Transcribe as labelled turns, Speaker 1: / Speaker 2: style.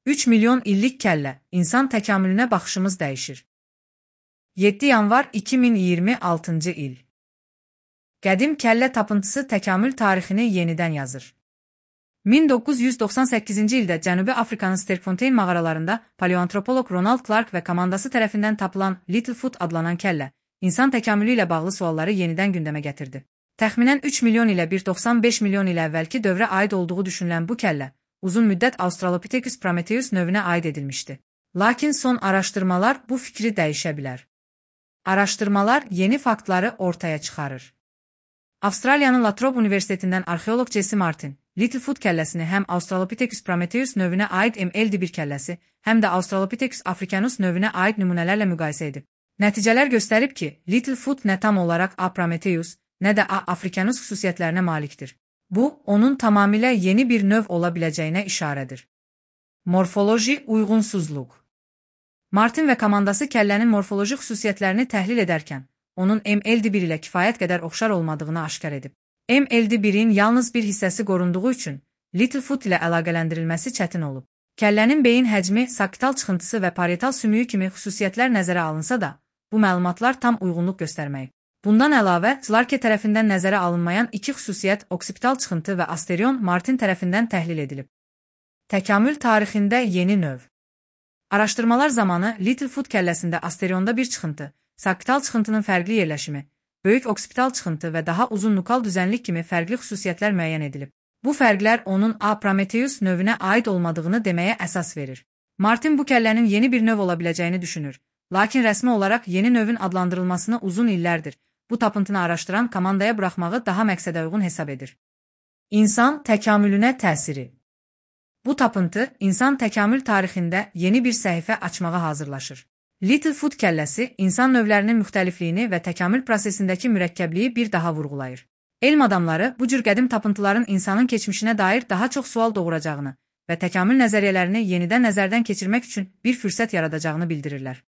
Speaker 1: 3 milyon illik kəllə, insan təkamülünə baxışımız dəyişir. 7 yanvar 2026-cı il. Qədim kəllə tapıntısı təkamül tarixini yenidən yazır. 1998-ci ildə Cənubi Afrikanın Sterkfontein mağaralarında paleoantropoloq Ronald Clark və komandası tərəfindən tapılan Littlefoot adlanan kəllə, insan təkamülü ilə bağlı sualları yenidən gündəmə gətirdi. Təxminən 3 milyon ilə 1,95 milyon ilə əvvəlki dövrə aid olduğu düşünülən bu kəllə, uzun müddət Australopithecus prometheus növünə aid edilmişdi. Lakin son araşdırmalar bu fikri dəyişə bilər. Araşdırmalar yeni faktları ortaya çıxarır. Avstraliyanın La Trobe Universitetindən arxeoloq Jesse Martin, Littlefoot kəlləsini həm Australopithecus prometheus növünə aid ML1 kəlləsi, həm də Australopithecus africanus növünə aid nümunələrlə müqayisə edib. Nəticələr göstərib ki, Littlefoot nə tam olaraq A. prometheus, nə də A. africanus xüsusiyyətlərinə malikdir. Bu, onun tamamilə yeni bir növ ola biləcəyinə işarədir. Morfoloji uyğunsuzluq. Martin və komandası kəllənin morfoloji xüsusiyyətlərini təhlil edərkən, onun ML1 ilə kifayət qədər oxşar olmadığını aşkar edib. ML1-in yalnız bir hissəsi qorunduğu üçün Littlefoot ilə əlaqələndirilməsi çətin olub. Kəllənin beyin həcmi, saktal çıxıntısı və parietal sümüyü kimi xüsusiyyətlər nəzərə alınsa da, bu məlumatlar tam uyğunluq göstərməyib. Bundan əlavə, Clarke tərəfindən nəzərə alınmayan iki xüsusiyyət, oksipital çıxıntı və asterion Martin tərəfindən təhlil edilib. Təkamül tarixində yeni növ. Araşdırmalar zamanı Littlefoot kəlləsində asterionda bir çıxıntı, saktal çıxıntının fərqli yerləşimi, böyük oksipital çıxıntı və daha uzun nukal düzənlik kimi fərqli xüsusiyyətlər müəyyən edilib. Bu fərqlər onun A. prometheus növünə aid olmadığını deməyə əsas verir. Martin bu kəllənin yeni bir növ ola biləcəyini düşünür, lakin rəsmi olaraq yeni növün adlandırılmasını uzun illərdir bu tapıntını araşdıran komandaya buraxmağı daha məqsədə uyğun hesab edir. İnsan təkamülünə təsiri. Bu tapıntı insan təkamül tarixində yeni bir səhifə açmağa hazırlaşır. Littlefoot kəlləsi insan növlərinin müxtəlifliyini və təkamül prosesindəki mürəkkəbliyi bir daha vurğulayır. Elm adamları bu cür qədim tapıntıların insanın keçmişinə dair daha çox sual doğuracağını və təkamül nəzəriyyələrini yenidən nəzərdən keçirmək üçün bir fürsət yaradacağını bildirirlər.